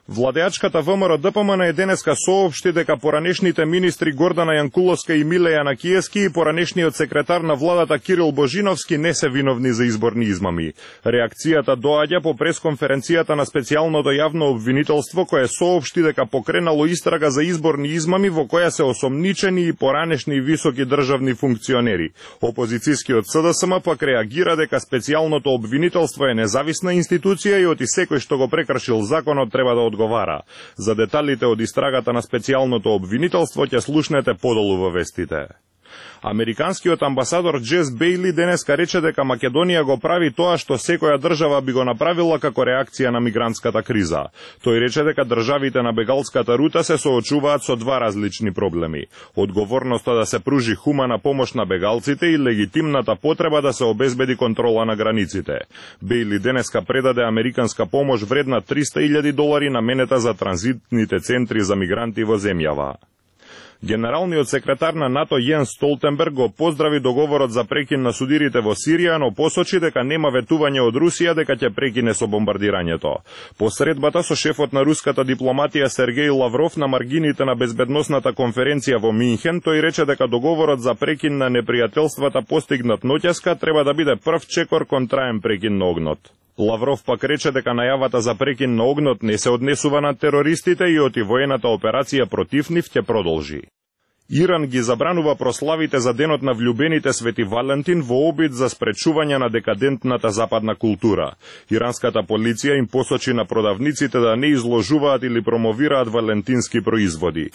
Владеачката ВМРО ДПМН е денеска соопшти дека поранешните министри Гордана Јанкуловска и Миле Јанакиевски и поранешниот секретар на владата Кирил Божиновски не се виновни за изборни измами. Реакцијата доаѓа по пресконференцијата на специјалното јавно обвинителство кое соопшти дека покренало истрага за изборни измами во која се осомничени и поранешни високи државни функционери. Опозицијскиот СДСМ пак реагира дека специјалното обвинителство е независна институција и оти секој што го прекршил законот треба да одговара. За деталите од истрагата на специјалното обвинителство ќе слушнете подолу во вестите. Американскиот амбасадор Джес Бејли денеска рече дека Македонија го прави тоа што секоја држава би го направила како реакција на мигрантската криза. Тој рече дека државите на бегалската рута се соочуваат со два различни проблеми: одговорноста да се пружи хумана помош на бегалците и легитимната потреба да се обезбеди контрола на границите. Бејли денеска предаде американска помош вредна $300,000 наменета за транзитните центри за мигранти во земјава. Генералниот секретар на НАТО Јенс Столтенберг го поздрави договорот за прекин на судирите во Сирија, но посочи дека нема ветување од Русија дека ќе прекине со бомбардирањето. По средбата со шефот на руската дипломатија Сергеј Лавров на маргините на безбедносната конференција во Минхен, тој рече дека договорот за прекин на непријателствата постигнат ноќеска треба да биде прв чекор кон траен прекин на огнот. Лавров пак рече дека најавата за прекин на огнот не се однесува на терористите и оти воената операција против нив ќе продолжи. Иран ги забранува прославите за денот на влюбените Свети Валентин во обид за спречување на декадентната западна култура. Иранската полиција им посочи на продавниците да не изложуваат или промовираат валентински производи.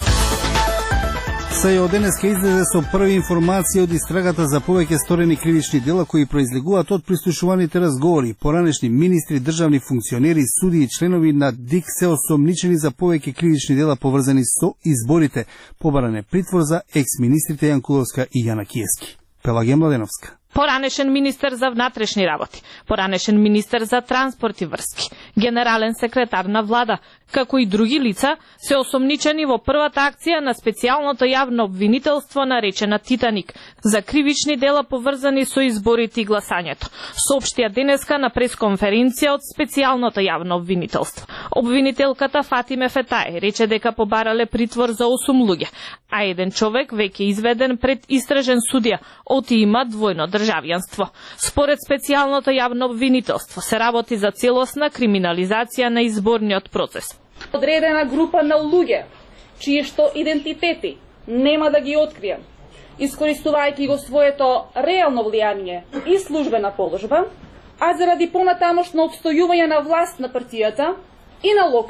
СЈО денеска излезе со први информации од истрагата за повеќе сторени кривични дела кои произлегуваат од прислушуваните разговори. Поранешни министри, државни функционери, суди и членови на ДИК се осомничени за повеќе кривични дела поврзани со изборите. Побаран е притвор за екс-министрите Јанкуловска и Јанакиевски. Пелагија Младеновска. Поранешен министер за внатрешни работи, поранешен министер за транспорт и врски, генерален секретар на влада, како и други лица, се осомничени во првата акција на специјалното јавно обвинителство наречена Титаник за кривични дела поврзани со изборите и гласањето, соопштија денеска на пресконференција од специјалното јавно обвинителство. Обвинителката Фатиме Фетај рече дека побарале притвор за 8 луѓе, а еден човек веќе изведен пред истражен судија, оти има двојно државјанство. Според специјалното јавно обвинителство се работи за целосна криминализација на изборниот процес. Одредена група на луѓе, чии што идентитети нема да ги откријам, искористувајќи го своето реално влијание и службена положба, а заради понатамошно отстојување на власт на партијата и на локалната